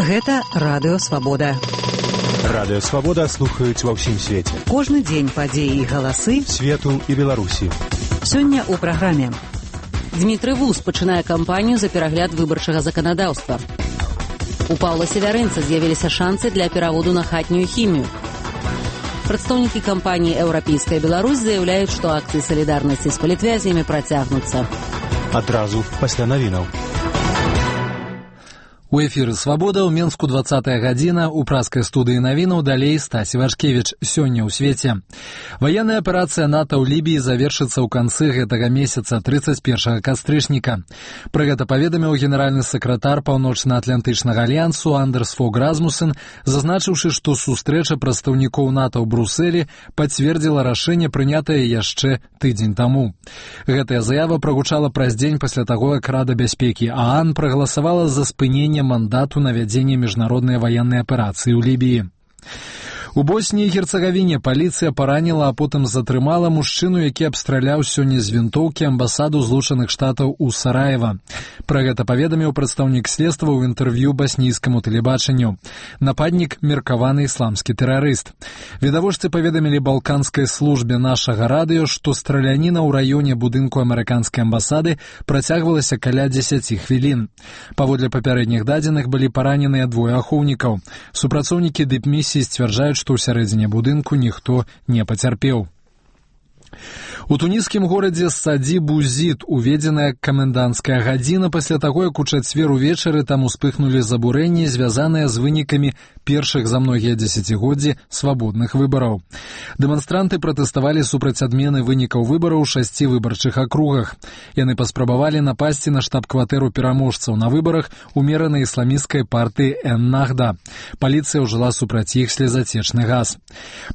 Гэта Радыё Свабода. Радыё Свабода слухаюць ва ўсім свеце. Кожны дзень падзеі і галасы свету і Беларусі. Сёння ў праграме. Дмітрый Вуз пачынае кампанію за перагляд выбарчага заканадаўства. У Паўла Севярынца з'явіліся шансы для пераводу на хатнюю хімію. Прадстаўнікі кампаніі «Еўрапейская Беларусь» заяўляюць, што акцыі салідарнасці з палітвязнямі працягнуцца. Адразу пасля навінаў. У эфіры «Свабода» ў Менску 20-я гадзіна, у праскай студыі навінаў далей Стась Івашкевіч. Сёння ў свеце. Ваенная аперацыя НАТО ў Лібіі завершыцца ў канцы гэтага месяца, 31 кастрычніка. Пра гэта паведаміў генеральны сакратар Паўночна-Атлантычнага альянсу Андерс Фог Расмусен, зазначыўшы, што сустрэча прадстаўнікоў НАТО ў Брусэлі пацвердзіла рашэнне, прынятае яшчэ тыдзень таму. Гэтая заява прагучала праз дзень пасля таго, як Рада бяспекі ААН прагаласавала за спыненне мандату на вядзенне міжнароднай ваеннай аперацыі ў Лібіі. У Боснії і Герцагавіне паліцыя параніла, а потым затрымала мужчыну, які абстраляў сёння з вінтоўкі амбасаду Злучаных Штатаў у Сараева. Пра гэта паведаміў прадстаўнік следства ў інтэрв'ю баснійскаму тэлебачанню. Нападнік — меркаваны ісламскі тэрарыст. Відавочцы паведамілі балканскай службе нашага радыё, што страляніна ў раёне будынку амерыканскай амбасады працягвалася каля 10 хвілін. Паводле папярэдніх дадзеных былі параненыя двое ахоўнікаў. Супрацоўнікі дыпмісіі сцвярджаюць, што ў сярэдзіне будынку ніхто не пацярпеў. У туніскім горадзе Саді-Бузід уведзеная каменданцкая гадзіна пасля таго, як у чацвер увечары там успыхнулі забурэнні, звязаныя з вынікамі першых за многія дзесяцігоддзі свабодных выбараў. Дэманстранты пратэставалі супраць адмены вынікаў выбараў у 6 выбарчых акругах. Яны паспрабавалі напасці на штаб-кватэру пераможцаў на выбарах умеранай ісламісцкай партыі Эн-Нахда. Паліцыя ўжыла супраць іх слезацечны газ.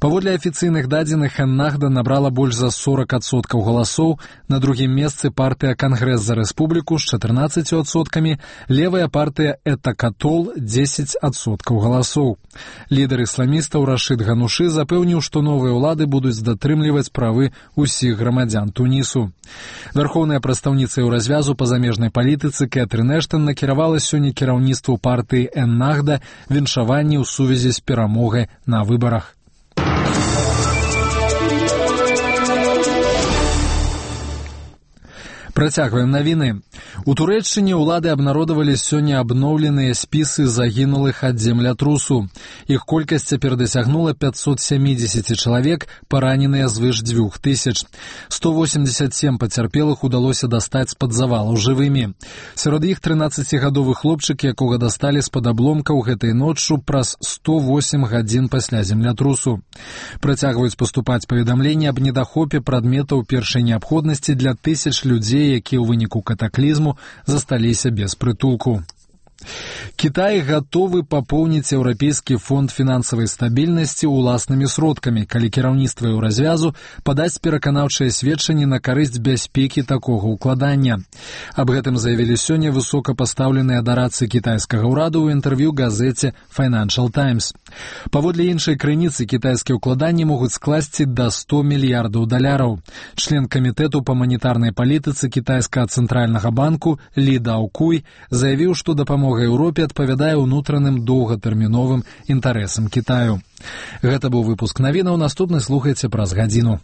Паводле афіцыйных дадзеных, Эн-Нахда набрала больш за 40% галасоў, на другім месцы партыя «Кангрэс за рэспубліку» з 14%, левая партыя «Этакатол» 10% галасоў. Лідар ісламістаў Рашид Ганушы запэўніў, што новыя ўлады будуць датрымліваць правы ўсіх грамадзян Тунісу. Вярхоўная прадстаўніца еўразвязу па замежнай палітыцы Кэтрын Эштон накіравала сёння кіраўніцтву партыі Эн-Нахда віншаванні ў сувязі з перамогай на выбарах. Працягваем навіны. У Турэччыне ўлады абнародавалі сёння абноўленыя спісы загінулых ад землятрусу. Іх колькасць цяпер дасягнула 570 чалавек, параненыя звыш 2000. 187 пацярпелых удалося дастаць з-пад завалаў жывымі. Сярод іх 13-гадовы хлопчык, якога дасталі з-пад абломкаў гэтай ноччу праз 108 гадзін пасля землятрусу. Працягваюць паступаць паведамленні аб недахопе прадметаў першай неабходнасці для тысяч людзей, якія ў выніку катаклізму засталіся без прытулку. Кітай гатовы папоўніць Еўрапейскі фонд фінансавай стабільнасці ўласнымі сродкамі, калі кіраўніцтва еўразвязу падаць пераканаўчае сведчанне на карысць бяспекі такога ўкладання. Аб гэтым заявілі сёння высокапастаўленыя дарадцы кітайскага ўраду ў інтэрв'ю газеце Financial Times. Паводле іншай крыніцы, кітайскія ўкладанні могуць скласці да $100 мільярдаў. Член камітэту па манетарнай палітыцы кітайскага цэнтральнага банку Лі Даокуй заявіў, што дапамога Еўропе адпавядае ўнутраным доўгатэрміновым інтарэсам Кітаю. Гэта быў выпуск навінаў, наступны слухайце праз гадзіну.